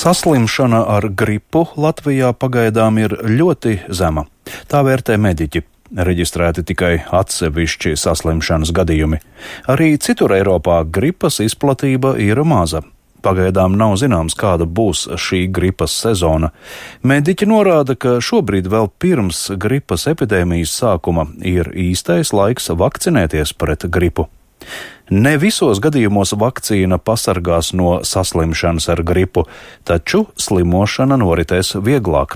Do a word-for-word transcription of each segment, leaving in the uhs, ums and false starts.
Saslimšana ar gripu Latvijā pagaidām ir ļoti zema. Tā vērtē mediķi. Reģistrēti tikai atsevišķi saslimšanas gadījumi. Arī citur Eiropā gripas izplatība ir maza. Pagaidām nav zināms, kāda būs šī gripas sezona. Mediķi norāda, ka šobrīd vēl pirms gripas epidēmijas sākuma ir īstais laiks vakcinēties pret gripu. Ne visos gadījumos vakcīna pasargās no saslimšanas ar gripu, taču slimošana noritēs vieglāk.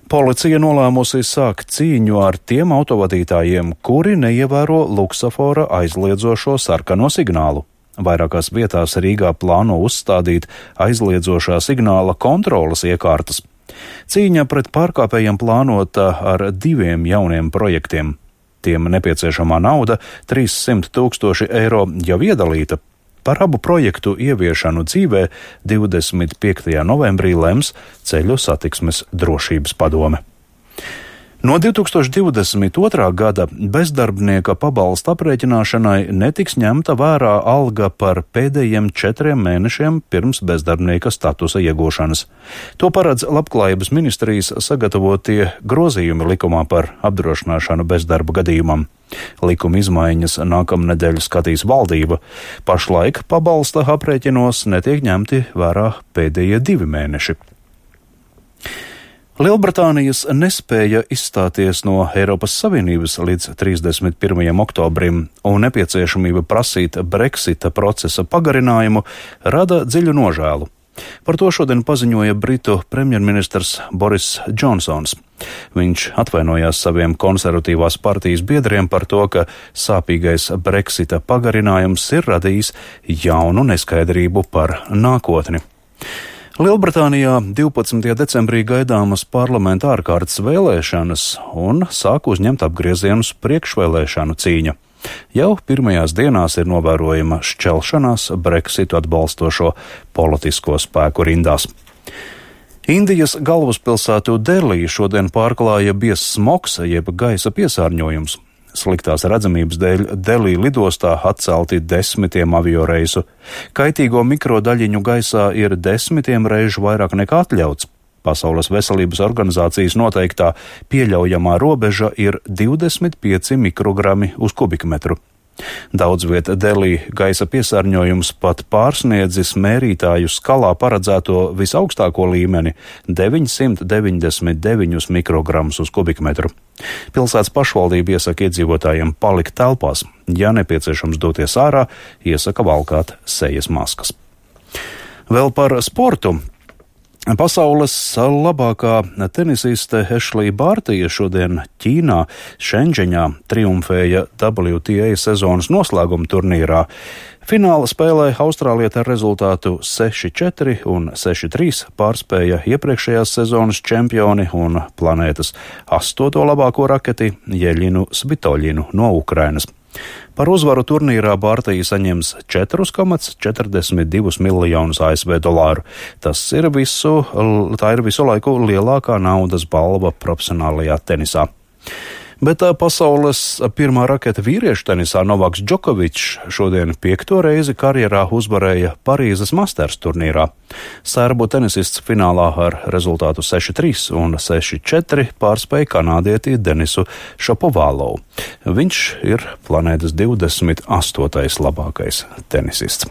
Policija nolēmusi sākt cīņu ar tiem autovadītājiem, kuri neievēro luksafora aizliedzošo sarkano signālu. Vairākās vietās Rīgā plāno uzstādīt aizliedzošā signāla kontroles iekārtas. Cīņa pret pārkāpējiem plānota ar diviem jauniem projektiem. Tiem nepieciešamā nauda - trīssimt tūkstoši eiro jau iedalīta. Par abu projektu ieviešanu dzīvē divdesmit piektajā novembrī lems Ceļu satiksmes drošības padome. No divi tūkstoši divdesmit otrā gada bezdarbnieka pabalsta aprēķināšanai netiks ņemta vērā alga par pēdējiem četriem mēnešiem pirms bezdarbnieka statusa iegūšanas. To paredz Labklājības ministrijas sagatavotie grozījumi likumā par apdrošināšanu bezdarba gadījumam. Likuma izmaiņas nākamnedēļ skatīs valdība. Pašlaik pabalsta aprēķinos netiek ņemti vērā pēdējie divi mēneši. Lielbritānijas nespēja izstāties no Eiropas Savienības līdz trīsdesmit pirmajam oktobrim un nepieciešamība prasīt Brexita procesa pagarinājumu rada dziļu nožēlu. Par to šodien paziņoja Britu premjerministrs Boris Džonsons. Viņš atvainojās saviem konservatīvās partijas biedriem par to, ka sāpīgais Brexita pagarinājums ir radījis jaunu neskaidrību par nākotni. Lielbritānijā divpadsmitajā decembrī gaidāmas parlamenta ārkārtas vēlēšanas un sāk uzņemt apgriezienus priekšvēlēšanu cīņa. Jau pirmajās dienās ir novērojama šķelšanās Brexitu atbalstošo politisko spēku rindās. Indijas galvaspilsētu Delī šodien pārklāja biezs smogs, jeb gaisa piesārņojums. Sliktās redzamības dēļ Delī lidostā atcelti desmitiem avioreisu. Kaitīgo mikrodaļiņu gaisā ir desmitiem reižu vairāk nekā atļauts. Pasaules veselības organizācijas noteiktā pieļaujamā robeža ir divdesmit pieci mikrogrami uz kubikmetru. Daudz viet Delī gaisa piesārņojums pat pārsniedzis mērītāju skalā paredzēto visaugstāko līmeni - deviņsimt deviņdesmit deviņus mikrogramus uz kubikmetru. Pilsētas pašvaldība iesaka iedzīvotājiem palikt telpās. Ja nepieciešams doties ārā, iesaka valkāt sejas maskas. Vēl par sportu. Pasaules labākā tenisiste Ešlija Bārtija šodien Ķīnā, Šenžeņā triumfēja W T A sezonas noslēguma turnīrā. Fināla spēlē Austrālieta ar rezultātu seši četri un seši trīs pārspēja iepriekšējās sezonas čempioni un planētas astoto labāko raketi Jeļinu Svitoļinu no Ukrainas. Par uzvaru turnīrā Bārtija saņems četri komati četrdesmit divi miljonus A S V dolāru. Tas ir visu, tā ir visu laiku lielākā naudas balva profesionālajā tenisā. Bet pasaules pirmā raketa vīriešu tenisā Novaks Džokovičs šodien piekto reizi karjerā uzvarēja Parīzes Masters turnīrā. Serbu tenisists finālā ar rezultātu seši trīs un seši četri pārspēja kanādieti Denisu Šapovālovu. Viņš ir planētas divdesmit astotais labākais tenisists.